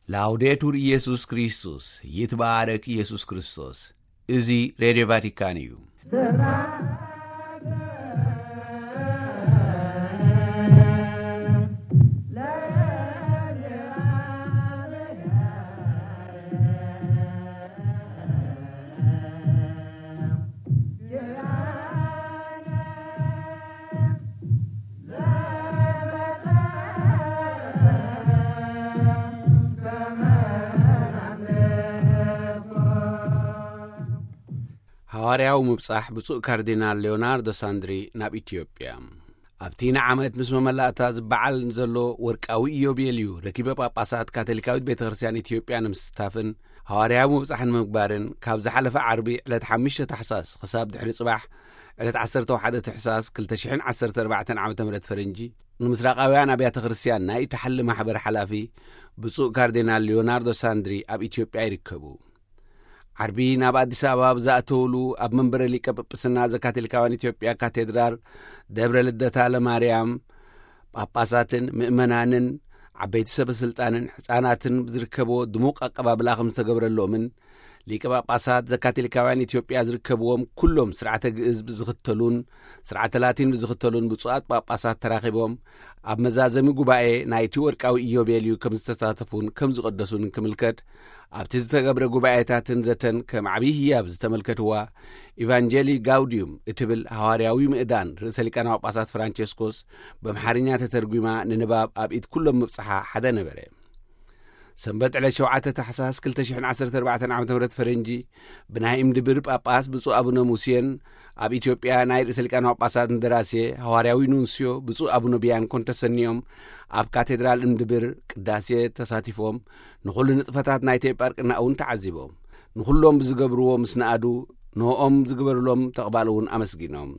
ላውዴቱር ኢየሱስ ክርስቶስ፣ ይትባረክ ኢየሱስ ክርስቶስ። እዚ ሬድዮ ቫቲካን እዩ። ሃዋርያዊ ምብጻሕ ብፁዕ ካርዲናል ሌዮናርዶ ሳንድሪ ናብ ኢትዮጵያ። ኣብቲ ንዓመት ምስ መመላእታ ዝበዓል ዘሎ ወርቃዊ ኢዮቤልዩ፣ ረኪበ ጳጳሳት ካቶሊካዊት ቤተ ክርስቲያን ኢትዮጵያ ንምስታፍን ሃዋርያዊ ምብጻሕ ንምግባርን፣ ካብ ዝሓለፈ ዓርቢ ዕለት ሓሙሽተ ታሕሳስ ክሳብ ድሕሪ ጽባሕ ዕለት ዓሰርተ ሓደ ታሕሳስ ክልተ ሽሕን ዓሰርተ ኣርባዕተን ዓመተ ምህረት ፈረንጂ፣ ንምስራቃውያን ኣብያተ ክርስቲያን ናይ እታ ሓሊ ማሕበር ሓላፊ ብፁዕ ካርዲናል ሊዮናርዶ ሳንድሪ ኣብ ኢትዮጵያ ይርከቡ። ዓርቢ ናብ ኣዲስ ኣበባ ብዝኣተውሉ፣ ኣብ መንበረ ሊቀ ጵጵስና ዘካቶሊካውያን ኢትዮጵያ ካቴድራል ደብረ ልደታ ለማርያም፣ ጳጳሳትን ምእመናንን ዓበይቲ ሰበ ስልጣንን ሕፃናትን ዝርከብዎ ድሙቕ ኣቀባብላ ከም ዝተገብረሎምን፣ ሊቀ ጳጳሳት ዘካቶሊካውያን ኢትዮጵያ ዝርከብዎም ኩሎም ስርዓተ ግእዝ ብዝኽተሉን ስርዓተ ላቲን ብዝኽተሉን ብፁዓት ጳጳሳት ተራኺቦም፣ ኣብ መዛዘሚ ጉባኤ ናይቲ ወርቃዊ ኢዮቤልዩ ከም ዝተሳተፉን ከም ዝቐደሱን ክምልከት፣ ኣብቲ ዝተገብረ ጉባኤታትን ዘተን ከም ዓብዪ ህያብ ዝተመልከትዋ፣ ኢቫንጀሊ ጋውዲዩም እትብል ሃዋርያዊ ምእዳን ርእሰ ሊቃነ ጳጳሳት ፍራንቸስኮስ ብኣምሓርኛ ተተርጒማ ንንባብ ኣብ ኢድ ኩሎም ምብጽሓ ሓደ ነበረ። ሰንበት ዕለት ሸውዓተ ታሕሳስ ክልተ ሽሕን ዓሰርተ ኣርባዕተን ዓመተ ምህረት ፈረንጂ፣ ብናይ እምድብር ጳጳስ ብፁዕ ኣቡነ ሙሴን ኣብ ኢትዮጵያ ናይ ርእሰ ሊቃነ ጳጳሳት እንደራሴ ሃዋርያዊ ኑንስዮ ብፁዕ ኣቡነ ቢያንኮን ተሰንዮም፣ ኣብ ካቴድራል እምድብር ቅዳሴ ተሳቲፎም፣ ንኹሉ ንጥፈታት ናይቲ ኤጳርቅና እውን ተዓዚቦም። ንኹሎም ብዝገብርዎ ምስ ነኣዱ፣ ንኦም ዝግበርሎም ተቕባል እውን ኣመስጊኖም።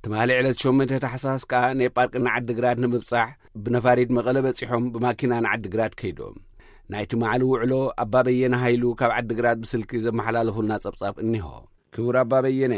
ትማሊ ዕለት ሸሞንተ ታሕሳስ ከኣ ንኤጳርቅና ዓዲግራት ንምብጻሕ ብነፋሪት መቐለ በጺሖም ብማኪና ንዓዲግራት ከይዶም። ናይ ትማሊ ውዕሎ ኣባ በየነ ሃይሉ ካብ ዓዲግራት ብስልኪ ዘመሓላለፉልና ጸብጻብ እኒሆ። ክቡር ኣባ በየነ፣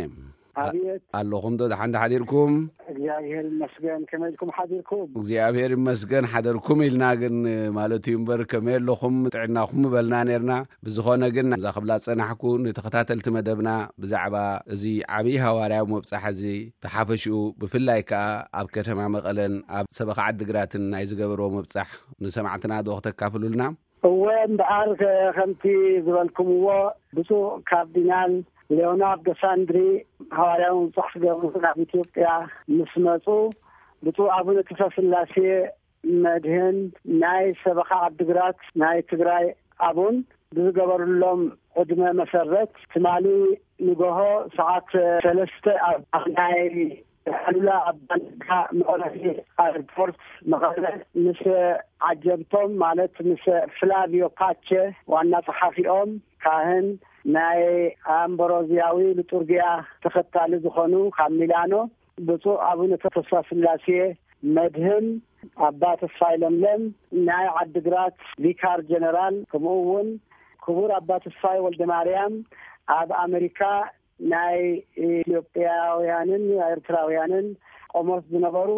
ኣ-፣ ኣብየት። ኣለኹም ዶ? ደሓን ሓዲርኩም? እግዚኣብሔር ይመስገን። ከመይ ኢልኩም ሓዲርኩም? እግዚኣብሔር ይመስገን ሓደርኩም ኢልና ግን ማለት እዩ እምበር፣ ከመይ ኣለኹም ጥዕናኹም ምበልና ነርና። ብዝኾነ ግን፣ እዛ ክብላ ዝጸናሕኩ፣ ንተኸታተልቲ መደብና ብዛዕባ እዚ ዓብዪ ሃዋርያዊ መብጻሕ እዚ ብሓፈሽኡ፣ ብፍላይ ከኣ ኣብ ከተማ መቐለን ኣብ ሰበኻ ዓዲግራትን ናይ ዝገበርዎ መብጻሕ ንሰማዕትና ዶ ክተካፍሉልና? እወ፣ እምበኣር፣ ከ-፣ ከምቲ ዝበልኩምዎ፣ ብፁዕ ካርዲናል ሌዮናርዶ ሳንድሪ ሃዋርያዊ ምብጻሕ ክገብሩ ናብ ኢትዮጵያ ምስ መጹ፣ ብፁዕ ኣቡነ ተስፋስላሴ መድህን ናይ ሰበኻ ዓዲግራት ናይ ትግራይ ኣቡን ብዝገበሩሎም ዕድመ መሰረት፣ ትማሊ ንጎሆ ሰዓት ሰለስተ ኣብ ናይ ኣሉላ ኣባነጋ መዕረፊ ኣየርፖርት መቐለ ምስ ዓጀብቶም፣ ማለት ምስ ፍላቪዮ ፓቸ ዋና ጸሓፊኦም፣ ካህን፣ ናይ ኣምብሮዝያዊ ሊጡርጊያ ተኸታሊ ዝኾኑ ካብ ሚላኖ ብፁዕ ኣቡነ ተስፋስላሴ መድህን፣ ኣባ ተስፋይ ለምለም ናይ ዓዲግራት ቪካር ጀነራል፣ ከምኡ እውን ክቡር ኣባ ተስፋይ ወልደ ማርያም ኣብ ኣመሪካ ናይ ኢትዮጵያውያንን ኤርትራውያንን ቆሞስ ዝነበሩ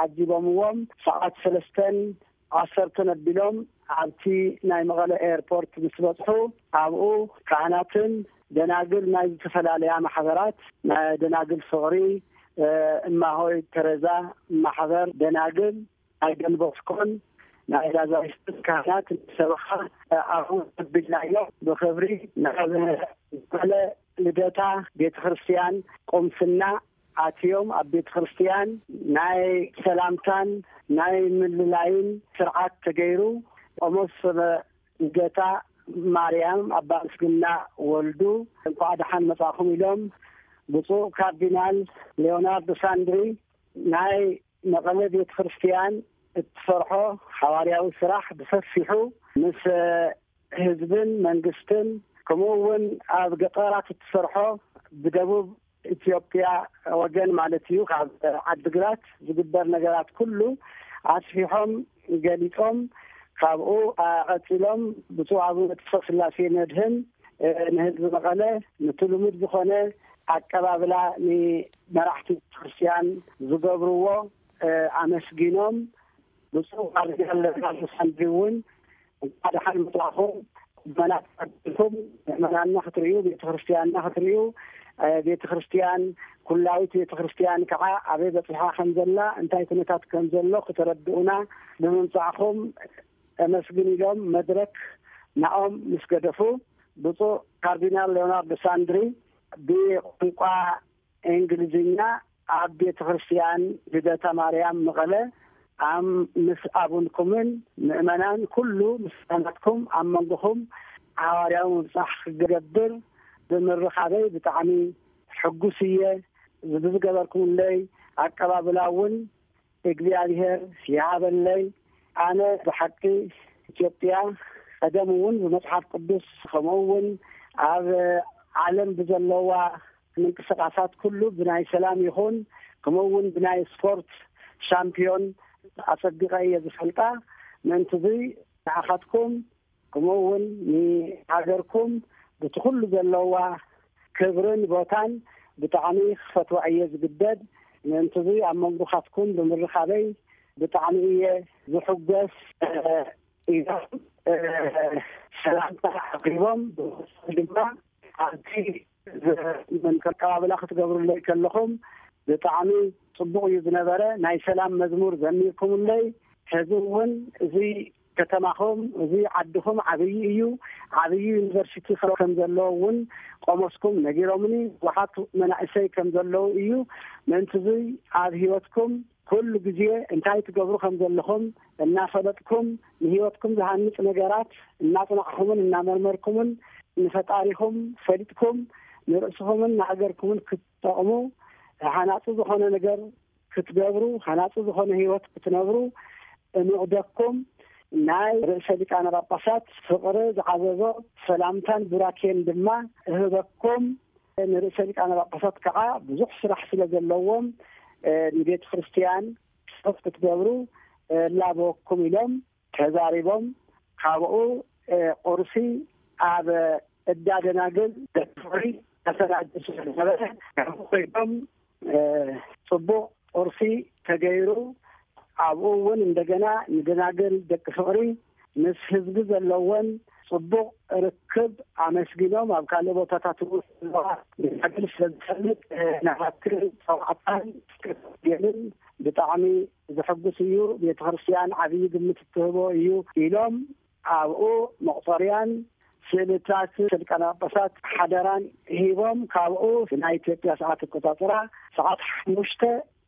ዓጂቦምዎም፣ ሰዓት ሰለስተን ዓሰርተን ኣቢሎም ኣብቲ ናይ መቐለ ኤርፖርት ምስ በጽሑ፣ ኣብኡ ካህናትን ደናግል ናይ ዝተፈላለያ ማሕበራት፣ ናይ ደናግል ፍቕሪ፣ እ፣ እማሆይ ተረዛ ማሕበር ደናግል፣ ናይ ደንቦስኮን ናይ ላዛሪስቶስ ካህናት ሰበኻ፣ እ፣ ኣብኡ ተቀቢልናዮም። ብኽብሪ ናብ መቐለ ልደታ ቤተ ክርስቲያን ቁምስና ኣትዮም፣ ኣብ ቤተ ክርስቲያን ናይ ሰላምታን ናይ ምልላይን ስርዓት ተገይሩ። ቆሞስ ሰበ ልደታ ማርያም ኣባ ምስግና ወልዱ እንኳዕ ደሓን መጻኹም ኢሎም፣ ብፁዕ ካርዲናል ሌዮናርዶ ሳንድሪ ናይ መቐለ ቤተ ክርስቲያን እትሰርሖ ሓዋርያዊ ስራሕ ብሰፊሑ ምስ ህዝብን መንግስትን፣ ከምኡ እውን ኣብ ገጠራት እትሰርሖ ብደቡብ ኢትዮጵያ ወገን ማለት እዩ፣ ካብ ዓድግራት ዝግበር ነገራት ኩሉ ኣስፊሖም ገሊጾም፣ ካብኡ ቀጺሎም ብፁዕ ኣቡነ ተስፋስላሴ መድህን፣ እ፣ ንህዝቢ መቐለ ነቲ ልሙድ ዝኾነ ኣቀባብላ ንመራሕቲ ቤተክርስትያን ዝገብርዎ፣ እ፣ ኣመስጊኖም፣ ብፁዕ ካርዲናል ሌኦናርዶ ሳንድሪ እውን እንኳዕ ደሓን መጻእኹም። ምእመናን ተቐቢልኩም ምእመናንና ክትርእዩ፣ ቤተ ክርስቲያንና ክትርእዩ፣ እ፣ ቤተ ክርስቲያን፣ ኩላዊት ቤተ ክርስቲያን ከዓ ኣበይ በጺሓ ከም ዘላ፣ እንታይ ኩነታት ከም ዘሎ ክተረድኡና ብምምጻእኹም እመስግን ኢሎም መድረክ ናኦም ምስ ገደፉ፣ ብፁዕ ካርዲናል ሌዮናርዶ ሳንድሪ ብቋንቋ እንግሊዝኛ ኣብ ቤተ ክርስቲያን ልደታ ማርያም መቐለ፣ ኣም-፣ ምስ ኣቡንኩምን ምእመናን ኩሉ ምስጋናትኩም ኣብ መንጎኹም ሓዋርያዊ ምብጻሕ ክገብር ብምርኻበይ ብጣዕሚ ሕጉስ እየ። ብዝገበርኩምለይ ኣቀባብላ እውን እግዚኣብሔር ይሃበለይ። ኣነ ብሓቂ ኢትዮጵያ ቀደም እውን ብመጽሓፍ ቅዱስ፣ ከምኡ እውን ኣብ ዓለም ብዘለዋ ምንቅስቃሳት ኩሉ ብናይ ሰላም ይኹን፣ ከምኡ እውን ብናይ ስፖርት ሻምፒዮን ኣጸቢቐ እየ ዝፈልጣ። ምእንቲ እዚ ንዓኻትኩም፣ ከምኡ እውን ንሃገርኩም፣ በቲ ኩሉ ዘለዋ ክብርን ቦታን ብጣዕሚ ክፈትዋ እየ ዝግደድ። ምእንቲ እዚ ኣብ መንጎኻትኩም ብምርኻበይ ብጣዕሚ እየ ዝሕጎስ፣ እ፣ ኢሎም፣ እ፣ ሰላምታ ኣቕሪቦም። ብመሰል ድማ ኣብቲ ዝ-፣ ምን-፣ ኣቀባብላ ክትገብሩለይ ከለኹም ብጣዕሚ ጽቡቕ እዩ ዝነበረ። ናይ ሰላም መዝሙር ዘሚርኩምለይ። ሕዚ እውን እዚ ከተማኹም፣ እዚ ዓድኹም ዓብዪ እዩ። ዓብዪ ዩኒቨርሲቲ ከም ዘለዎ እውን ቆሞስኩም ነጊሮምኒ። ብዙሓት መናእሰይ ከም ዘለዉ እዩ። ምእንቲ እዚ ኣብ ህይወትኩም ኩሉ ግዜ እንታይ ትገብሩ ከም ዘለኹም እናፈለጥኩም፣ ንህይወትኩም ዝሃንጽ ነገራት እናጽናዕኩምን እናመርመርኩምን፣ ንፈጣሪኹም ፈሊጥኩም፣ ንርእስኹምን ንሃገርኩምን ክትጠቕሙ፣ ሃናጺ ዝኾነ ነገር ክትገብሩ፣ ሃናጺ ዝኾነ ህይወት ክትነብሩ እምዕደኩም። ናይ ርእሰ ሊቃነ ጳጳሳት ፍቕሪ ዝዓዘዞ ሰላምታን ቡራኬን ድማ እህበኩም። ንርእሰ ሊቃነ ጳጳሳት ከዓ ብዙሕ ስራሕ ስለ ዘለዎም፣ እ፣ ንቤተ ክርስቲያን ጸሎት ክትገብሩ፣ እ፣ እላበወኩም ኢሎም ተዛሪቦም። ካብኡ፣ እ፣ ቁርሲ ኣብ እዳ ደናግል ደቂ ፍቕሪ ተሰናድዩ ስለ ዝነበረ፣ ካብኡ ኮይኖም፣ እ፣ ጽቡቕ ቁርሲ ተገይሩ። ኣብኡ እውን እንደገና ንደናግል ደቂ ፍቕሪ ምስ ህዝቢ ዘለወን ጽቡቕ ርክብ ኣመስጊኖም፣ ኣብ ካልእ ቦታታት እውን ዘለዋ ደናግል ስለ ዝፈልጥ፣ እ፣ ናባክን ጸዋዕታን ክገብርን ብጣዕሚ ዘሐጉስ እዩ። ቤተ ክርስቲያን ዓብዪ ግምት እትህቦ እዩ ኢሎም፣ ኣብኡ መቑጸርያን ስእልታት ሊቃነ ጳጳሳት ሓደራን ሂቦም፣ ካብኡ ናይ ኢትዮጵያ ሰዓት ኣቆጻጽራ ሰዓት ሓሙሽተ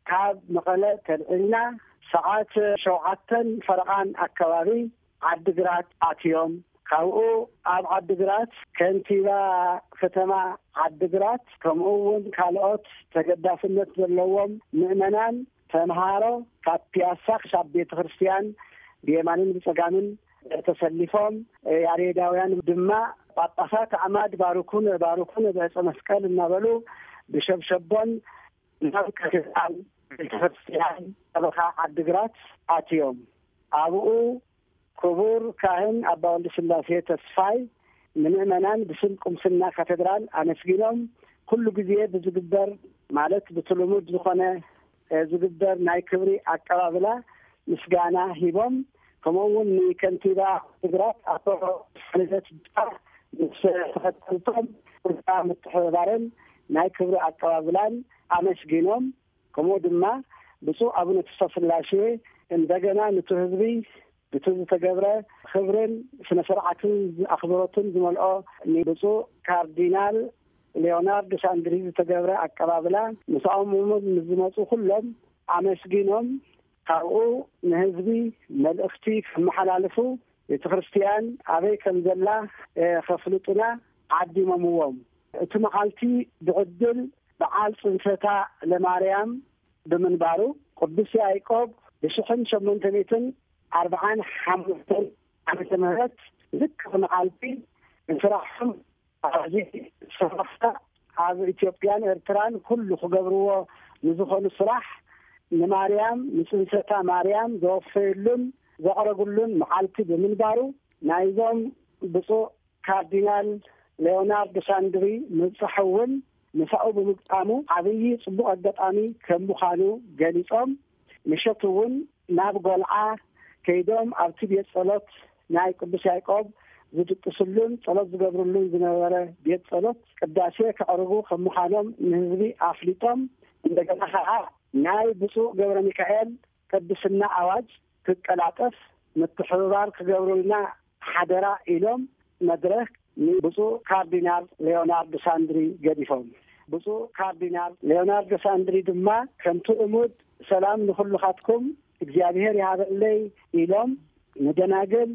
ካብ መቐለ ተልዒልና ሰዓት ሸውዓተን ፈረቓን ኣከባቢ ዓዲግራት ኣትዮም። ካብኡ ኣብ ዓዲግራት ከንቲባ ከተማ ዓዲግራት፣ ከምኡ እውን ካልኦት ተገዳስነት ዘለዎም ምእመናን፣ ተምሃሮ፣ ካብ ፒያሳ ክሳብ ቤተ ክርስቲያን ብየማንን ብጸጋምን ተሰሊፎም፣ ያሬዳውያን ድማ ጳጳሳት ኣዕማድ ባርኩን ባርኩን ብዕፀ መስቀል እናበሉ ብሸብሸቦን ናብ ካቴድራል ቤተ ክርስቲያን ሰበኻ ዓዲግራት ኣትዮም። ኣብኡ ክቡር ካህን ኣባ ወልደ ስላሴ ተስፋይ ንምእመናን ብስም ቁምስና ካቴድራል ኣመስጊኖም፣ ኩሉ ግዜ ብዝግበር፣ ማለት ብቲ ልሙድ ዝኾነ፣ እ፣ ዝግበር ናይ ክብሪ ኣቀባብላ ምስጋና ሂቦም። ከምኡ እውን ንከንቲባ ዓዲግራት ኣቶ ልደት ጅባ ምስ ተኸተልቶም ኩርታ ምትሕብባርን ናይ ክብሪ ኣቀባብላን ኣመስጊኖም። ከምኡ ድማ ብፁዕ ኣቡነ ተስፋ ስላሴ እንደገና ነቲ ህዝቢ እቲ ዝተገብረ ክብርን ስነ ስርዓትን ኣኽብሮትን ዝመልኦ ንብፁዕ ካርዲናል ሊዮናርድ ሳንድሪ ዝተገብረ ኣቀባብላ፣ ምስኦም እውን ንዝመፁ ኩሎም ኣመስጊኖም፣ ካብኡ ንህዝቢ መልእኽቲ ከመሓላልፉ፣ ቤተ ክርስቲያን ኣበይ ከም ዘላ፣ እ፣ ከፍልጡና ዓዲሞምዎም። እቲ መዓልቲ ብዕድል በዓል ጽንሰታ ለማርያም ብምንባሩ፣ ቅዱስ ያዕቆብ ብሽሕን ሸሞንተ ሚእትን ኣርብዓን ሓሙሽተን ዓመተ ምህረት ዝክሪ መዓልቲ፣ ንስራሖም ኣብዚ ሰፈራ ኣብ ኢትዮጵያን ኤርትራን ኩሉ ክገብርዎ ንዝኾኑ ስራሕ፣ ንማርያም፣ ንጽንሰታ ማርያም ዘወፈየሉን ዘቕረብሉን መዓልቲ ብምንባሩ፣ ናይዞም ብፁዕ ካርዲናል ሌዮናርዶ ሳንድሪ ምብጻሕ እውን ምሳኡ ብምግጣሙ ዓብዪ ጽቡቕ ኣጋጣሚ ከም ምዃኑ ገሊጾም፣ ምሸት እውን ናብ ጎልዓ ከይዶም ኣብቲ ቤት ጸሎት ናይ ቅዱስ ያዕቆብ ዝድቅስሉን ጸሎት ዝገብርሉን ዝነበረ ቤት ጸሎት ቅዳሴ ከዕርጉ ከም ምዃኖም ንህዝቢ ኣፍሊጦም፣ እንደገና ኸዓ ናይ ብፁዕ ገብረ ሚካኤል ቅድስና ኣዋጅ ክቀላጠፍ ምትሕብባር ክገብሩልና ሓደራ ኢሎም መድረኽ ንብፁዕ ካርዲናል ሌዮናርዶ ሳንድሪ ገዲፎም። ብፁዕ ካርዲናል ሌዮናርዶ ሳንድሪ ድማ ከምቲ እሙድ ሰላም ንኹልኻትኩም እግዚኣብሔር ይሃበለይ ኢሎም ንደናግል፣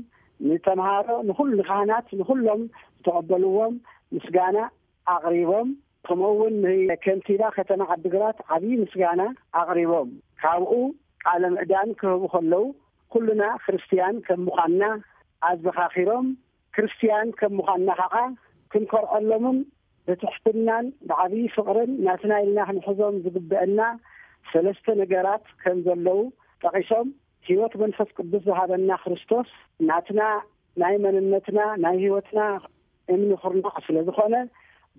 ንተምሃሮ፣ ንኹሉ ንካህናት፣ ንኹሎም ዝተቐበልዎም ምስጋና ኣቕሪቦም። ከምኡ እውን ንከንቲባ ከተማ ዓዲግራት ዓብዪ ምስጋና ኣቕሪቦም። ካብኡ ቃለ ምዕዳን ክህቡ ከለዉ ኩልና ክርስትያን ከም ምዃንና ኣዘኻኺሮም። ክርስትያን ከም ምዃንና ከዓ ክንኮርዐሎምን ብትሕትናን ብዓብዪ ፍቕርን ናትና ኢልና ክንሕዞም ዝግበአና ሰለስተ ነገራት ከም ዘለዉ ጠቒሶም፣ ህይወት መንፈስ ቅዱስ ዝሃበና ክርስቶስ ናትና ናይ መንነትና ናይ ህይወትና እምኒ ኩርናዕ ስለ ዝኾነ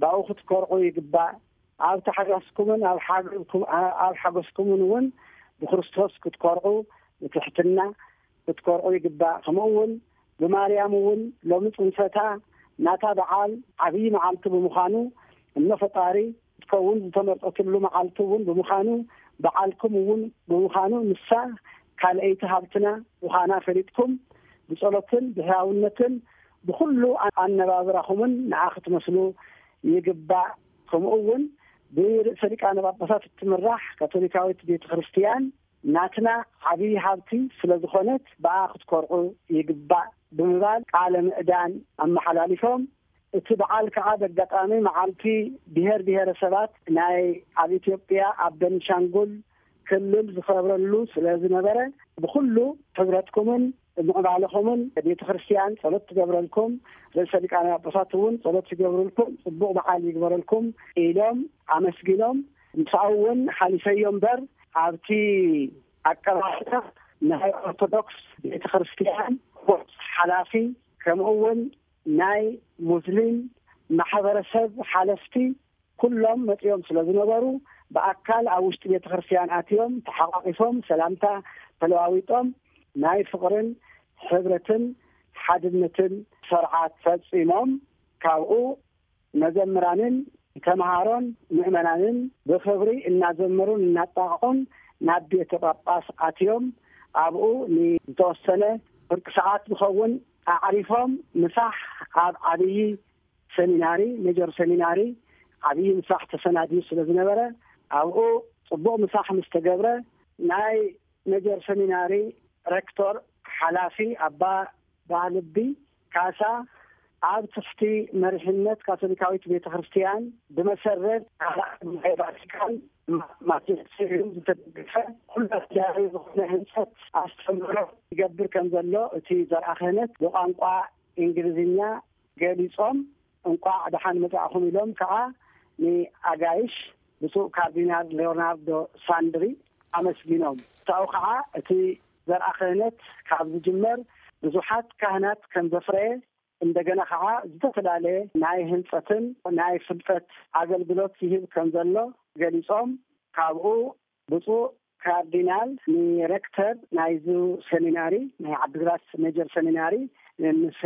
ብኣኡ ክትኮርዑ ይግባእ። ኣብ ታሕጋስኩምን ኣብ ሓገዝኩም-፣ ኣብ ሓጎስኩምን እውን ብክርስቶስ ክትኮርዑ ብትሕትና ክትኮርዑ ይግባእ። ከምኡ እውን ብማርያም እውን ሎሚ ጽንሰታ ናታ በዓል ዓብዪ መዓልቲ ብምዃኑ እኖ ፈጣሪ ክትከውን ዝተመርጠትሉ መዓልቲ እውን ብምዃኑ በዓልኩም እውን ብምዃኑ ንሳ ካልኣይቲ ሃብትና ምዃና ፈሊጥኩም ብጸሎትን ብሕያውነትን ብኹሉ ኣነባብራኹምን ንዓ ክትመስሉ ይግባእ። ከምኡ እውን ብርእሰ ሊቃነ ጳጳሳት እትምራሕ ካቶሊካዊት ቤተ ክርስቲያን ናትና ዓብዪ ሃብቲ ስለ ዝኾነት ብኣ ክትኮርዑ ይግባእ ብምባል ቃለ ምዕዳን ኣመሓላሊፎም። እቲ በዓል ከዓ በጋጣሚ መዓልቲ ብሔር ብሔረሰባት ናይ ኣብ ኢትዮጵያ ኣብ ቤንሻንጉል ክልል ዝኸብረሉ ስለ ዝነበረ ብኹሉ ሕብረትኩምን ምዕባለኹምን ቤተ ክርስቲያን ጸሎት ትገብረልኩም፣ ርእሰ ሊቃነ ጳጳሳት እውን ጸሎት ይገብሩልኩም፣ ጽቡቕ በዓል ይግበረልኩም ኢሎም ኣመስጊኖም። ምሳኡ እውን ሓሊፈዮ እምበር ኣብቲ ኣቀባብላ ናይ ኦርቶዶክስ ቤተ ክርስቲያን ሓላፊ ከምኡ እውን ናይ ሙስሊም ማሕበረሰብ ሓለፍቲ ኩሎም መጺኦም ስለ ዝነበሩ ብኣካል ኣብ ውሽጢ ቤተ ክርስቲያን ኣትዮም ተሓቋቂፎም ሰላምታ ተለዋዊጦም ናይ ፍቕርን ሕብረትን ሓድነትን ስርዓት ፈጺሞም። ካብኡ መዘምራንን ተምሃሮን ምእመናንን ብኽብሪ እናዘመሩን እናጣቕዑን ናብ ቤተ ጳጳስ ኣትዮም ኣብኡ ንዝተወሰነ ፍርቂ ሰዓት ዝኸውን ኣዕሪፎም ምሳሕ ኣብ ዓብዪ ሰሚናሪ፣ ሜጀር ሰሚናሪ ዓብዪ ምሳሕ ተሰናድዩ ስለ ዝነበረ ኣብኡ ጽቡቕ ምሳሕ ምስ ተገብረ ናይ ሜጀር ሰሚናሪ ሬክቶር ሓላፊ ኣባ ባህልቢ ካሳ ኣብ ትሕቲ መሪሕነት ካቶሊካዊት ቤተ ክርስቲያን ብመሰረት ካልኣይ ጉባኤ ቫቲካን ማጅስቴሪዩም ዝተደገፈ ኩሉ ኣዳራዊ ዝኾነ ህንፀት ኣስተምህሮ ይገብር ከም ዘሎ እቲ ዘርኣ ክህነት ብቋንቋ እንግሊዝኛ ገሊጾም እንቋዕ ደሓን መጻእኹም ኢሎም ከዓ ንኣጋይሽ ብፁዕ ካርዲናል ሌዮናርዶ ሳንድሪ ኣመስጊኖም። ብታኡ ከዓ እቲ ዘርኣ ክህነት ካብ ዝጅመር ብዙሓት ካህናት ከም ዘፍረየ እንደገና ከዓ ዝተፈላለየ ናይ ህንፀትን ናይ ፍልጠት ኣገልግሎት ይህብ ከም ዘሎ ገሊጾም ካብኡ ብፁዕ ካርዲናል ንሬክተር ናይዚ ሰሚናሪ ናይ ዓዲግራት ሜጀር ሰሚናሪ ምስ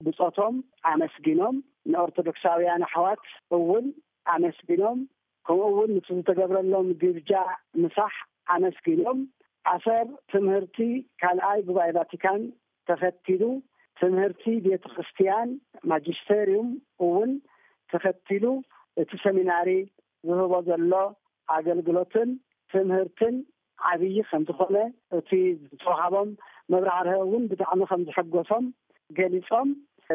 ብጾቶም ኣመስጊኖም ንኦርቶዶክሳውያን ኣሕዋት እውን ኣመስጊኖም ከምኡ እውን ምስ ዝተገብረሎም ግብጃ ምሳሕ ኣመስጊኖም ኣሰር ትምህርቲ ካልኣይ ጉባኤ ቫቲካን ተኸቲሉ ትምህርቲ ቤተ ክርስቲያን ማጅስተሪዩም እውን ተኸቲሉ እቲ ሰሚናሪ ዝህቦ ዘሎ ኣገልግሎትን ትምህርትን ዓብዪ ከም ዝኾነ እቲ ዝተዋሃቦም መብራህርሀ እውን ብጣዕሚ ከም ዝሐጎሶም ገሊጾም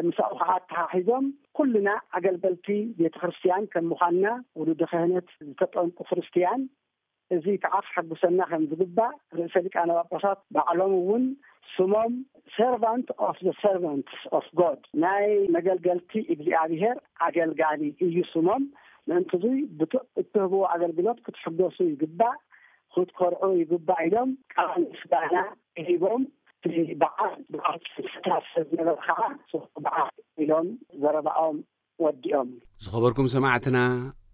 ምሳኡ ከዓ ኣተሓሒዞም ኩልና ኣገልገልቲ ቤተ ክርስቲያን ከም ምዃንና ውሉደ ክህነት ዝተጠምቁ ክርስቲያን እዚ ከዓ ክሐጉሰና ከም ዝግባእ ርእሰ ሊቃነ ጳጳሳት ባዕሎም እውን ስሞም servant of the servants of God ናይ መገልገልቲ እግዚኣብሔር ኣገልጋሊ እዩ ስሞም። ምእንቲ እዙይ እትህብዎ ኣገልግሎት ክትሕገሱ ይግባእ፣ ክትኮርዑ ይግባእ ኢሎም ቃል ምስጋና ሂቦም እቲ በዓል ብዓል ስታት ሰብ ዝነበረ ከዓ በዓል ኢሎም ዘረባኦም ወዲኦም። ዝኸበርኩም ሰማዕትና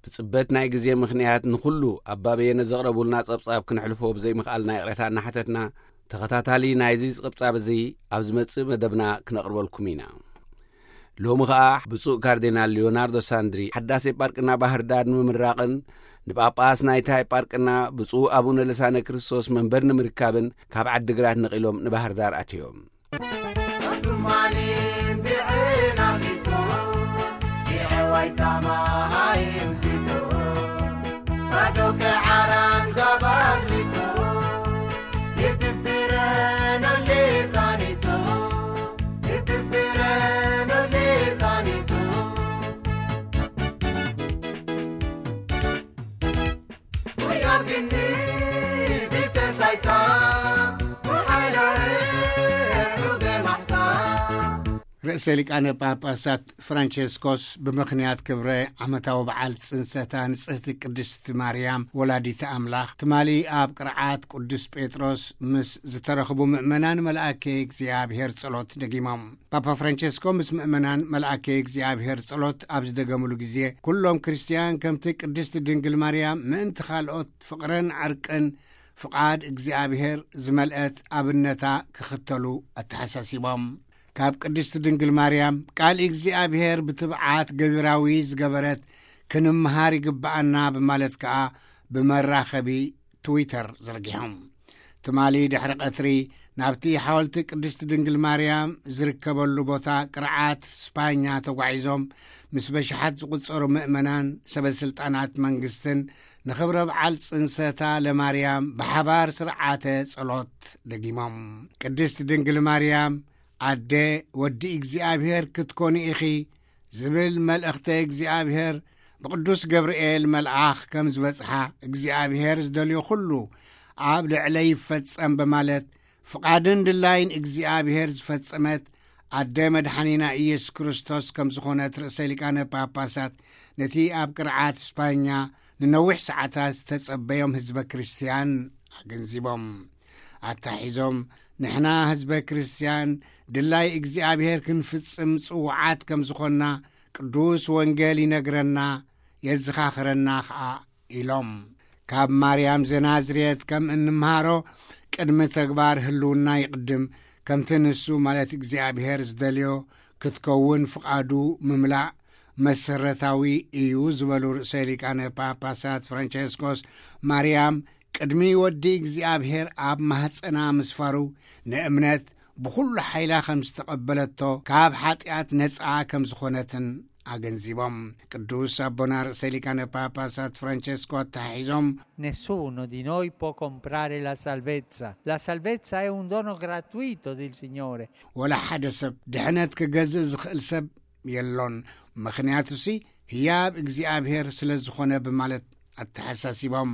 ብጽበት ናይ ግዜ ምኽንያት ንኹሉ ኣባበየነ ዘቕረቡልና ጸብጻብ ክንሕልፎ ብዘይምኽኣልና ይቕሬታ እናሓተትና ተኸታታሊ ናይዚ ጽቕብጻብ እዚ ኣብ ዝመጽእ መደብና ክነቕርበልኩም ኢና። ሎሚ ኸኣ ብፁዕ ካርዲናል ሊዮናርዶ ሳንድሪ ሓዳስ ኤጳርቅና ባህር ዳር ንምምራቕን ንጳጳስ ናይታ ኤጳርቅና ብፁዕ ኣቡነ ልሳነ ክርስቶስ መንበር ንምርካብን ካብ ዓዲግራት ነቒሎም ንባህር ዳር ኣትዮም። ኣቱማኒን ብዕናሚቱ፣ ብዕዋይ ታማሃይም ቢቱ፣ ባዶከ ዓራን ጋባግሊቱ፣ ይትብትረን ሊቃኒቱ፣ ይትብትረን ሊቃኒቱ። ርእሰ ሊቃነ ጳጳሳት ፍራንቸስኮስ ብምኽንያት ክብረ ዓመታዊ በዓል ጽንሰታ ንጽህቲ ቅድስቲ ማርያም ወላዲተ ኣምላኽ ትማሊ ኣብ ቅርዓት ቅዱስ ጴጥሮስ ምስ ዝተረኽቡ ምእመናን መልኣከ እግዚኣብሔር ጸሎት ደጊሞም። ፓፓ ፍራንቸስኮ ምስ ምእመናን መልኣከ እግዚኣብሔር ጸሎት ኣብ ዝደገምሉ ግዜ፣ ኩሎም ክርስትያን ከምቲ ቅድስቲ ድንግል ማርያም ምእንቲ ካልኦት ፍቕርን ዕርቅን ፍቓድ እግዚኣብሔር ዝመልአት ኣብነታ ክኽተሉ ኣተሓሳሲቦም። ካብ ቅድስቲ ድንግል ማርያም ቃል እግዚኣብሔር ብትብዓት ገቢራዊ ዝገበረት ክንምሃር ይግብኣና ብማለት ከኣ ብመራኸቢ ትዊተር ዘርጊሖም። ትማሊ ድሕሪ ቀትሪ ናብቲ ሓወልቲ ቅድስቲ ድንግል ማርያም ዝርከበሉ ቦታ ቅርዓት ስፓኛ ተጓዒዞም፣ ምስ በሽሓት ዝቑጸሩ ምእመናን፣ ሰበ ስልጣናት መንግስትን ንኽብረ በዓል ጽንሰታ ለማርያም ብሓባር ስርዓተ ጸሎት ደጊሞም። ቅድስቲ ድንግል ማርያም ኣደ ወዲ እግዚኣብሔር ክትኮኒ ኢኺ ዝብል መልእኽተ እግዚኣብሔር ብቅዱስ ገብርኤል መልኣኽ ከም ዝበጽሓ፣ እግዚኣብሔር ዝደልዮ ኩሉ ኣብ ልዕለይ ይፈጸም በማለት፣ ፍቓድን ድላይን እግዚኣብሔር ዝፈጸመት ኣደ መድሓኒና ኢየሱስ ክርስቶስ ከም ዝኾነት ርእሰ ሊቃነ ጳጳሳት ነቲ ኣብ ቅርዓት ስፓኛ ንነዊሕ ሰዓታት ዝተጸበዮም ህዝበ ክርስትያን ኣገንዚቦም። ኣታሒዞም፣ ንሕና ህዝበ ክርስትያን ድላይ እግዚኣብሔር ክንፍጽም ጽዉዓት ከም ዝኾንና ቅዱስ ወንጌል ይነግረና፣ የዘኻኽረና ኸኣ ኢሎም። ካብ ማርያም ዘናዝሬት ከም እንምሃሮ፣ ቅድሚ ተግባር ህልውና ይቕድም፣ ከምቲ ንሱ ማለት እግዚኣብሔር ዝደልዮ ክትከውን ፍቓዱ ምምላእ መሰረታዊ እዩ ዝበሉ ርእሰ ሊቃነ ጳጳሳት ፍራንቸስኮስ፣ ማርያም ቅድሚ ወዲ እግዚኣብሔር ኣብ ማህፀና ምስፋሩ ንእምነት ብኹሉ ሓይላ ከም ዝተቐበለቶ፣ ካብ ሓጢኣት ነፃ ከም ዝኾነትን ኣገንዚቦም። ቅዱስ ኣቦና ርእሰ ሊቃነ ጳጳሳት ፍራንቸስኮ ኣተሓሒዞም፣ Nessuno di noi può comprare la salvezza. La salvezza è un dono gratuito del Signore. ወላ ሓደ ሰብ ድሕነት ክገዝእ ዝኽእል ሰብ የሎን፣ ምኽንያቱሲ ህያብ እግዚኣብሔር ስለ ዝኾነ ብማለት ኣተሓሳሲቦም፣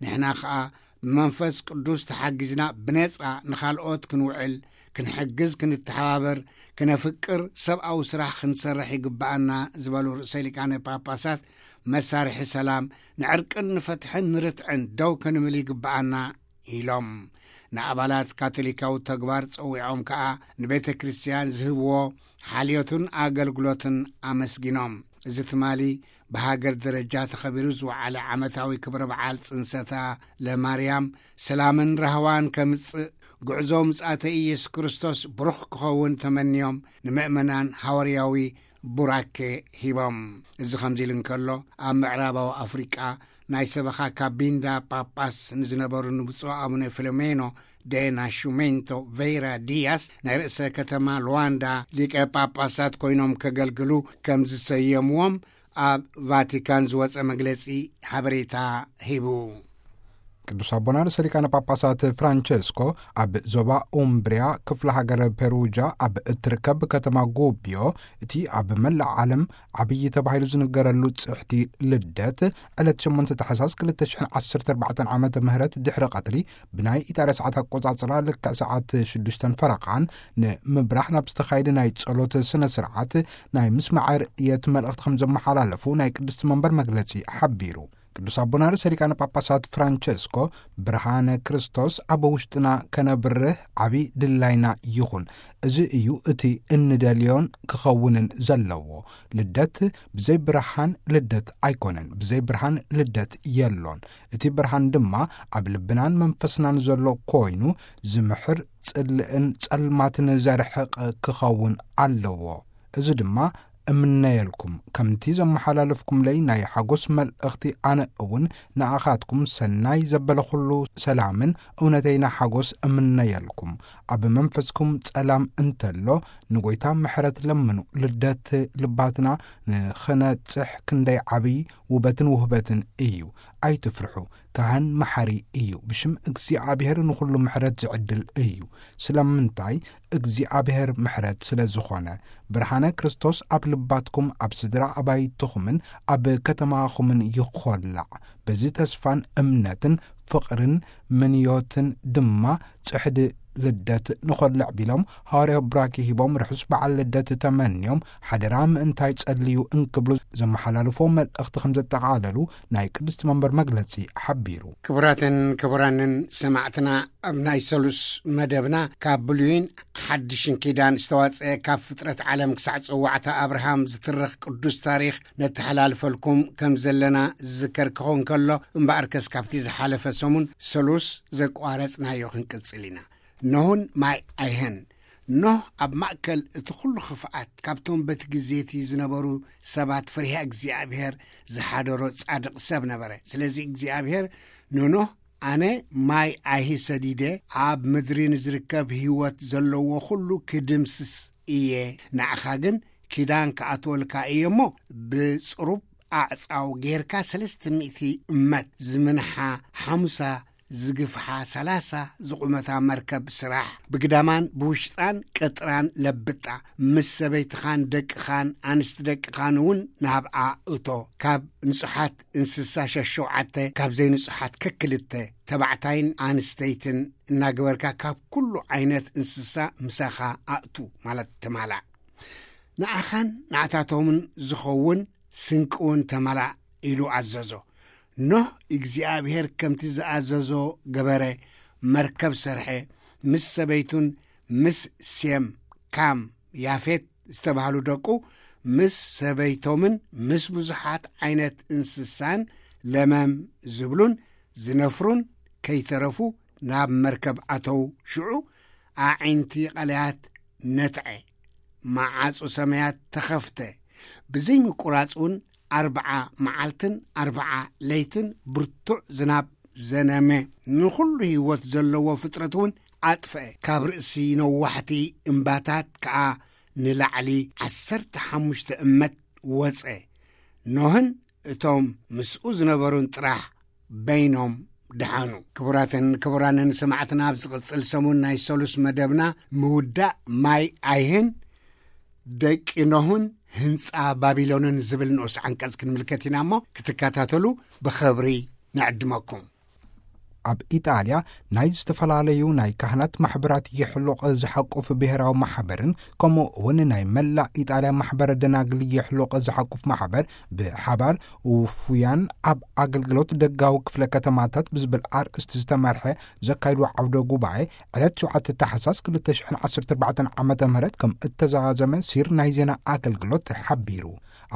ንሕና ኸኣ ብመንፈስ ቅዱስ ተሓጊዝና ብነጻ ንኻልኦት ክንውዕል፣ ክንሕግዝ፣ ክንተሓባበር፣ ክነፍቅር፣ ሰብኣዊ ስራሕ ክንሰርሕ ይግብኣና ዝበሉ ርእሰ ሊቃነ ጳጳሳት፣ መሳርሒ ሰላም፣ ንዕርቅን ንፍትሕን ንርትዕን ደው ክንብል ይግብኣና ኢሎም። ንኣባላት ካቶሊካዊ ተግባር ጸዊዖም ከኣ ንቤተ ክርስቲያን ዝህብዎ ሓልዮትን ኣገልግሎትን ኣመስጊኖም። እዚ ትማሊ ብሃገር ደረጃ ተኸቢሩ ዝወዓለ ዓመታዊ ክብረ በዓል ጽንሰታ ለማርያም ሰላምን ራህዋን ከምጽእ፣ ጉዕዞ ምጽኣተ ኢየሱስ ክርስቶስ ብሩኽ ክኸውን ተመንዮም፣ ንምእመናን ሃዋርያዊ ቡራኬ ሂቦም። እዚ ከምዚ ኢሉ እንከሎ፣ ኣብ ምዕራባዊ ኣፍሪቃ ናይ ሰበኻ ካቢንዳ ጳጳስ ንዝነበሩ ንብፁዕ ኣቡነ ፊሎሜኖ ደ ናሹሜንቶ ቬይራ ዲያስ ናይ ርእሰ ከተማ ሉዋንዳ ሊቀ ጳጳሳት ኮይኖም ከገልግሉ ከም ዝሰየምዎም ኣብ ቫቲካን ዝወጸ መግለጺ ሓበሬታ ሂቡ። ቅዱስ ኣቦና ርእሰ ሊቃነ ጳጳሳት ፍራንቸስኮ ኣብ ዞባ ኡምብሪያ ክፍለ ሃገር ፔሩጃ ኣብ እትርከብ ከተማ ጉብዮ፣ እቲ ኣብ መላእ ዓለም ዓብዪ ተባሂሉ ዝንገረሉ ጽሕቲ ልደት፣ ዕለት ሸሞንተ ታሕሳስ ክልተ ሽሕን ዓሰርተ ኣርባዕተን ዓመተ ምህረት ድሕሪ ቀትሪ ብናይ ኢጣልያ ሰዓት ኣቆጻጽራ ልክዕ ሰዓት ሽዱሽተን ፈረቓን ንምብራህ ናብ ዝተኻየደ ናይ ጸሎት ስነ ስርዓት ናይ ምስማዕ ርእየት መልእኽቲ ከም ዘመሓላለፉ ናይ ቅድስቲ መንበር መግለጺ ሓቢሩ። ቅዱስ ኣቦና ርእሰ ሊቃነ ጳጳሳት ፍራንቸስኮ፣ ብርሃነ ክርስቶስ ኣብ ውሽጥና ከነብርህ ዓቢ ድላይና ይኹን። እዚ እዩ እቲ እንደልዮን ክኸውንን ዘለዎ። ልደት ብዘይ ብርሃን ልደት ኣይኮነን። ብዘይ ብርሃን ልደት የሎን። እቲ ብርሃን ድማ ኣብ ልብናን መንፈስናን ዘሎ ኮይኑ፣ ዝምሕር ጽልእን ጸልማትን ዘርሕቕ ክኸውን ኣለዎ። እዚ ድማ እምነየልኩም፣ ከምቲ ዘመሓላለፍኩምለይ ናይ ሓጎስ መልእኽቲ፣ ኣነ እውን ንኣኻትኩም ሰናይ ዘበለ ኩሉ ሰላምን እውነተይና ሓጎስ እምነየልኩም። ኣብ መንፈስኩም ጸላም እንተሎ፣ ንጎይታ ምሕረት ለምኑ። ልደት ልባትና ንኽነጽሕ ክንደይ ዓብዪ ውበትን ውህበትን እዩ። ኣይትፍርሑ፣ ካህን መሓሪ እዩ። ብሽም እግዚኣብሔር ንኹሉ ምሕረት ዝዕድል እዩ። ስለምንታይ? እግዚኣብሔር ምሕረት ስለ ዝኾነ። ብርሃነ ክርስቶስ ኣብ ልባትኩም፣ ኣብ ስድራ ኣባይትኹምን ኣብ ከተማኹምን ይኾላዕ። በዚ ተስፋን እምነትን ፍቕርን ምንዮትን ድማ ጽሕዲ ልደት ንኾልዕ ቢሎም፣ ሃዋርያዊ ብራኪ ሂቦም፣ ርሑስ በዓል ልደት ተመንዮም፣ ሓደራ ምእንታይ ጸልዩ እንክብሉ ዘመሓላልፎ መልእኽቲ ከም ዘጠቓለሉ ናይ ቅድስቲ መንበር መግለጺ ሓቢሩ። ክቡራትን ክቡራንን ሰማዕትና፣ ኣብ ናይ ሰሉስ መደብና ካብ ብሉይን ሓድሽን ኪዳን ዝተዋጽአ፣ ካብ ፍጥረት ዓለም ክሳዕ ጽዋዕታ ኣብርሃም ዝትረኽ ቅዱስ ታሪኽ ነተሓላልፈልኩም ከም ዘለና ዝዝከር ክኸውን ከሎ፣ እምበኣርከስ ካብቲ ዝሓለፈ ሰሙን ሰሉስ ዘቋረጽናዮ ክንቅጽል ኢና። ኖህን ማይ ኣይህን። ኖህ ኣብ ማእከል እቲ ኩሉ ክፍኣት፣ ካብቶም በቲ ግዜ እቲ ዝነበሩ ሰባት ፍርሂ እግዚኣብሔር ዝሓደሮ ጻድቕ ሰብ ነበረ። ስለዚ እግዚኣብሔር ንኖህ፣ "ኣነ ማይ ኣይሂ ሰዲደ፣ ኣብ ምድሪ ንዝርከብ ህይወት ዘለዎ ኩሉ ክድምስስ እየ። ንዓኻ ግን ኪዳን ክኣትወልካ እየ እሞ፣ ብጽሩብ ኣዕጻው ጌርካ ሰለስተ ሚእቲ እመት ዝምንሓ ሓሙሳ ዝግፍሓ ሰላሳ ዝቑመታ መርከብ ስራሕ። ብግዳማን ብውሽጣን ቅጥራን ለብጣ። ምስ ሰበይትኻን ደቅኻን ኣንስቲ ደቅኻን እውን ናብኣ እቶ። ካብ ንጹሓት እንስሳ ሸሸውዓተ፣ ካብ ዘይንጹሓት ከክልተ፣ ተባዕታይን ኣንስተይትን እናገበርካ ካብ ኩሉ ዓይነት እንስሳ ምሳኻ ኣእቱ" ማለት ተማላእ። "ንዓኻን ንዓታቶምን ዝኸውን ስንቂ እውን ተማላእ" ኢሉ ኣዘዞ። ኖህ እግዚኣብሔር ከምቲ ዝኣዘዞ ገበረ፣ መርከብ ሰርሐ፣ ምስ ሰበይቱን ምስ ሴም፣ ካም፣ ያፌት ዝተባህሉ ደቁ፣ ምስ ሰበይቶምን ምስ ብዙሓት ዓይነት እንስሳን ለመም ዝብሉን ዝነፍሩን ከይተረፉ ናብ መርከብ ኣተው። ሽዑ ኣዒንቲ ቀለያት ነትዐ፣ መዓጹ ሰማያት ተኸፍተ። ብዘይምቁራጽ እውን ኣርብዓ መዓልትን ኣርብዓ ለይትን ብርቱዕ ዝናብ ዘነመ። ንኹሉ ህይወት ዘለዎ ፍጥረት እውን ኣጥፍአ። ካብ ርእሲ ነዋሕቲ እምባታት ከኣ ንላዕሊ ዓሰርተ ሓሙሽተ እመት ወጸ። ኖህን እቶም ምስኡ ዝነበሩን ጥራሕ በይኖም ደሓኑ። ክቡራትን ክቡራንን ሰማዕትና፣ ኣብ ዝቕጽል ሰሙን ናይ ሰሉስ መደብና ምውዳእ ማይ ኣይህን ደቂ ኖህን ህንጻ ባቢሎንን ዝብል ንኡስ ዓንቀጽ ክንምልከት ኢና እሞ፣ ክትከታተሉ ብኽብሪ ንዕድመኩም። ኣብ ኢጣልያ ናይ ዝተፈላለዩ ናይ ካህናት ማሕበራት የሕሉቕ ዝሓቁፍ ብሔራዊ ማሕበርን ከምኡ እውን ናይ መላእ ኢጣልያ ማሕበረ ደናግል የሕሉቕ ዝሓቁፍ ማሕበር ብሓባር ውፉያን ኣብ ኣገልግሎት ደጋዊ ክፍለ ከተማታት ብዝብል ኣርእስቲ ዝተመርሐ ዘካይድዎ ዓውደ ጉባኤ ዕለት ሸውዓተ ታሕሳስ ክልተ ሽሕን ዓሰርተ ኣርባዕተን ዓመተ ምህረት ከም እተዛዘመ ሲር ናይ ዜና ኣገልግሎት ሓቢሩ።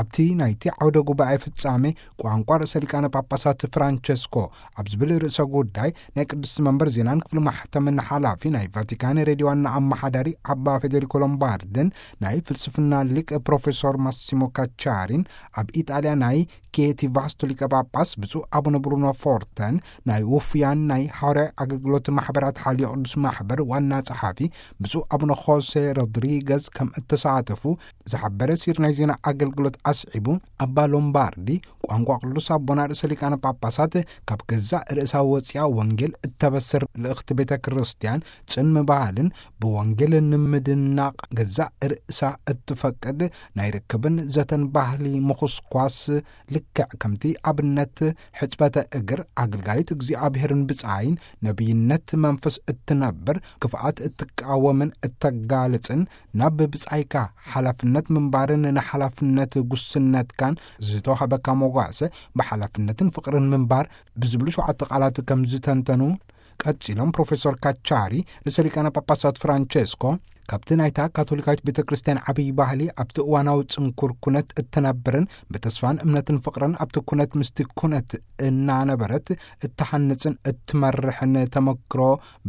ኣብቲ ናይቲ ዓውደ ጉባኤ ፍጻሜ ቋንቋ ርእሰ ሊቃነ ጳጳሳት ፍራንቸስኮ ኣብ ዝብል ርእሰ ጉዳይ ናይ ቅድስቲ መንበር ዜናን ክፍሊ ማሕተምን ሓላፊ ናይ ቫቲካን ሬድዮ ዋና ኣመሓዳሪ ኣባ ፌዴሪኮ ሎምባርድን ናይ ፍልስፍና ሊቅ ፕሮፌሶር ማሲሞ ካቻሪን፣ ኣብ ኢጣልያ ናይ ኬቲ ቫስቶ ሊቀ ጳጳስ ብፁዕ ኣቡነ ብሩኖ ፎርተን፣ ናይ ውፉያን ናይ ሓዋርያዊ ኣገልግሎት ማሕበራት ሓልዮ ቅዱስ ማሕበር ዋና ጸሓፊ ብፁዕ ኣቡነ ኾሴ ሮድሪገዝ ከም እተሳተፉ ዝሓበረ ሲር ናይ ዜና ኣገልግሎት ኣስዒቡ፣ ኣባ ሎምባርዲ ቋንቋ ቅዱስ ኣቦና ርእሰ ሊቃነ ጳጳሳት ካብ ገዛእ ርእሳ ወፂኣ ወንጌል እተበስር ልእኽቲ ቤተ ክርስቲያን ጽን ምባልን ብወንጌል ንምድናቕ ገዛእ ርእሳ እትፈቅድ ናይ ርክብን ዘተን ባህሊ ምኹስኳስ ልክዕ ከምቲ ኣብነት ሕጽበተ እግር ኣገልጋሊት እግዚኣብሔርን ብጻይን ነቢይነት መንፈስ እትነብር ክፍኣት እትቃወምን እተጋልጽን ናብ ብጻይካ ሓላፍነት ምንባርን ንሓላፍነት ጉስነትካን ዝተዋህበካ ዋሰ ብሓላፍነትን ፍቕርን ምንባር ብዝብሉ ሸውዓተ ቃላት ከም ዝተንተኑ ቀጺሎም ፕሮፌሰር ካቻሪ፣ ርእሰ ሊቃነ ጳጳሳት ፍራንቸስኮ ካብቲ ናይታ ካቶሊካዊት ቤተ ክርስቲያን ዓብዪ ባህሊ፣ ኣብቲ እዋናዊ ጽንኩር ኩነት እትነብርን ብተስፋን እምነትን ፍቕርን ኣብቲ ኩነት ምስቲ ኩነት እናነበረት እትሃንጽን እትመርሕን ተመክሮ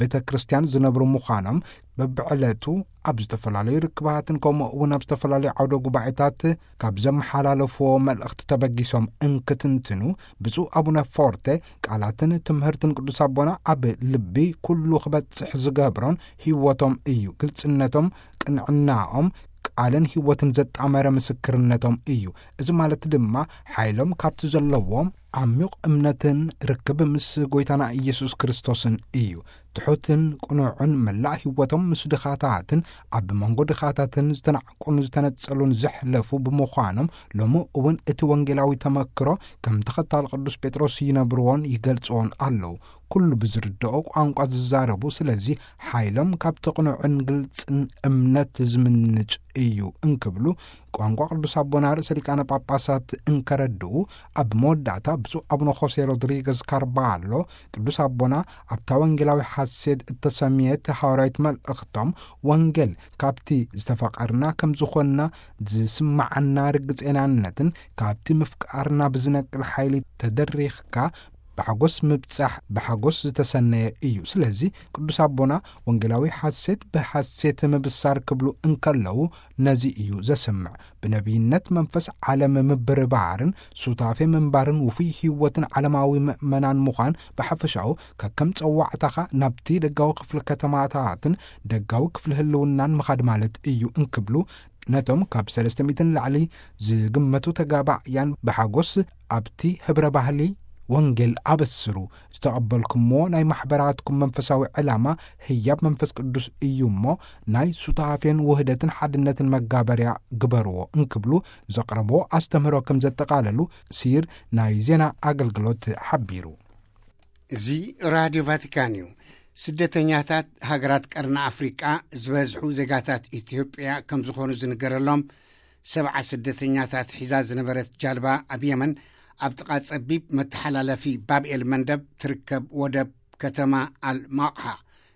ቤተ ክርስቲያን ዝነብሩ ምዃኖም፣ በብዕለቱ ኣብ ዝተፈላለዩ ርክባትን ከምኡ እውን ኣብ ዝተፈላለዩ ዓውደ ጉባኤታት ካብ ዘመሓላለፍዎ መልእኽቲ ተበጊሶም እንክትንትኑ፣ ብፁዕ ኣቡነ ፎርተ ቃላትን ትምህርትን ቅዱስ ኣቦና ኣብ ልቢ ኩሉ ክበጽሕ ዝገብሮን ህይወቶም እዩ። ግልጽነቶም፣ ቅንዕናኦም፣ ቃልን ህይወትን ዘጣመረ ምስክርነቶም እዩ። እዚ ማለት ድማ ሓይሎም ካብቲ ዘለዎም ዓሚቕ እምነትን ርክብ ምስ ጎይታና ኢየሱስ ክርስቶስን እዩ። ትሑትን ቅኑዕን፣ መላእ ህይወቶም ምስ ድኻታትን ኣብ መንጎ ድኻታትን ዝተናዕቁን ዝተነጸሉን ዘሕለፉ ብምዃኖም፣ ሎሚ እውን እቲ ወንጌላዊ ተመክሮ ከም ተኸታሊ ቅዱስ ጴጥሮስ ይነብርዎን ይገልጽዎን ኣለዉ። ኩሉ ብዝርድኦ ቋንቋ ዝዛረቡ፣ ስለዚ ሓይሎም ካብቲ ቅኑዕን ግልጽን እምነት ዝምንጭ እዩ እንክብሉ ቋንቋ ቅዱስ ኣቦና ርእሰ ሊቃነ ጳጳሳት እንከረድኡ፣ ኣብ መወዳእታ ብፁዕ ኣቡነ ሆሴ ሮድሪገዝ ካርባሎ ቅዱስ ኣቦና ኣብታ ወንጌላዊ ሓሴት እተሰምየት ሃዋርያዊት መልእኽቶም፣ ወንጌል ካብቲ ዝተፈቐርና ከም ዝኾንና ዝስምዓና ርግጼናነትን ካብቲ ምፍቃርና ብዝነቅል ሓይሊ ተደሪኽካ ብሓጎስ ምብጻሕ ብሓጎስ ዝተሰነየ እዩ። ስለዚ ቅዱስ ኣቦና ወንጌላዊ ሓሴት ብሓሴት ምብሳር ክብሉ እንከለዉ ነዚ እዩ ዘስምዕ። ብነቢይነት መንፈስ ዓለም ምብርባርን ሱታፌ ምንባርን ውፉይ ህይወትን ዓለማዊ ምእመናን ምዃን ብሓፈሻኡ ከከም ጸዋዕታኻ ናብቲ ደጋዊ ክፍሊ ከተማታትን ደጋዊ ክፍሊ ህልውናን ምኻድ ማለት እዩ እንክብሉ ነቶም ካብ ሰለስተ ሚእትን ላዕሊ ዝግመቱ ተጋባእያን ብሓጎስ ኣብቲ ህብረ ባህሊ ወንጌል ኣበስሩ። ዝተቐበልኩምዎ ናይ ማሕበራትኩም መንፈሳዊ ዕላማ ህያብ መንፈስ ቅዱስ እዩ እሞ፣ ናይ ሱታፌን ውህደትን ሓድነትን መጋበርያ ግበርዎ እንክብሉ ዘቕረብዎ ኣስተምህሮ ከም ዘጠቓለሉ ሲር ናይ ዜና ኣገልግሎት ሓቢሩ። እዚ ራድዮ ቫቲካን እዩ። ስደተኛታት ሃገራት ቀርኒ ኣፍሪቃ ዝበዝሑ ዜጋታት ኢትዮጵያ ከም ዝኾኑ ዝንገረሎም ሰብዓ ስደተኛታት ሒዛ ዝነበረት ጃልባ ኣብ የመን ኣብ ጥቓ ጸቢብ መተሓላለፊ ባብኤል መንደብ ትርከብ ወደብ ከተማ ኣል ማቕሓ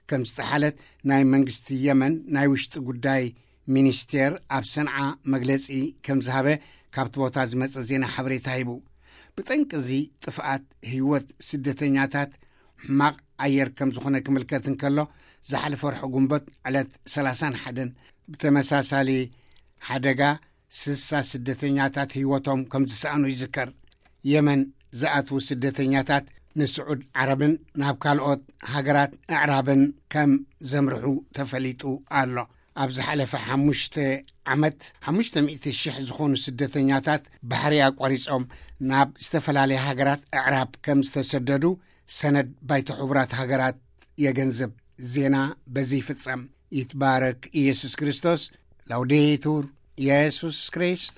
ከም ዝጠሓለት ናይ መንግስቲ የመን ናይ ውሽጢ ጉዳይ ሚኒስቴር ኣብ ሰንዓ መግለጺ ከም ዝሃበ ካብቲ ቦታ ዝመጸ ዜና ሓበሬታ ሂቡ። ብጠንቂ እዚ ጥፍኣት ህይወት ስደተኛታት ሕማቕ ኣየር ከም ዝኾነ ክምልከት እንከሎ፣ ዝሓለፈ ወርሒ ጉንበት ዕለት ሰላሳን ሓደን ብተመሳሳሊ ሓደጋ ስሳ ስደተኛታት ህይወቶም ከም ዝሰኣኑ ይዝከር። የመን ዝኣትዉ ስደተኛታት ንስዑድ ዓረብን ናብ ካልኦት ሃገራት ኣዕራብን ከም ዘምርሑ ተፈሊጡ ኣሎ። ኣብ ዝሓለፈ ሓሙሽተ ዓመት ሓሙሽተ ሚእቲ ሽሕ ዝኾኑ ስደተኛታት ባሕሪ ኣቋሪጾም ናብ ዝተፈላለያ ሃገራት ኣዕራብ ከም ዝተሰደዱ ሰነድ ባይቶ ሕቡራት ሃገራት የገንዝብ። ዜና በዚ ይፍጸም። ይትባረክ ኢየሱስ ክርስቶስ። ላውዴቱር ኢየሱስ ክርስቶስ።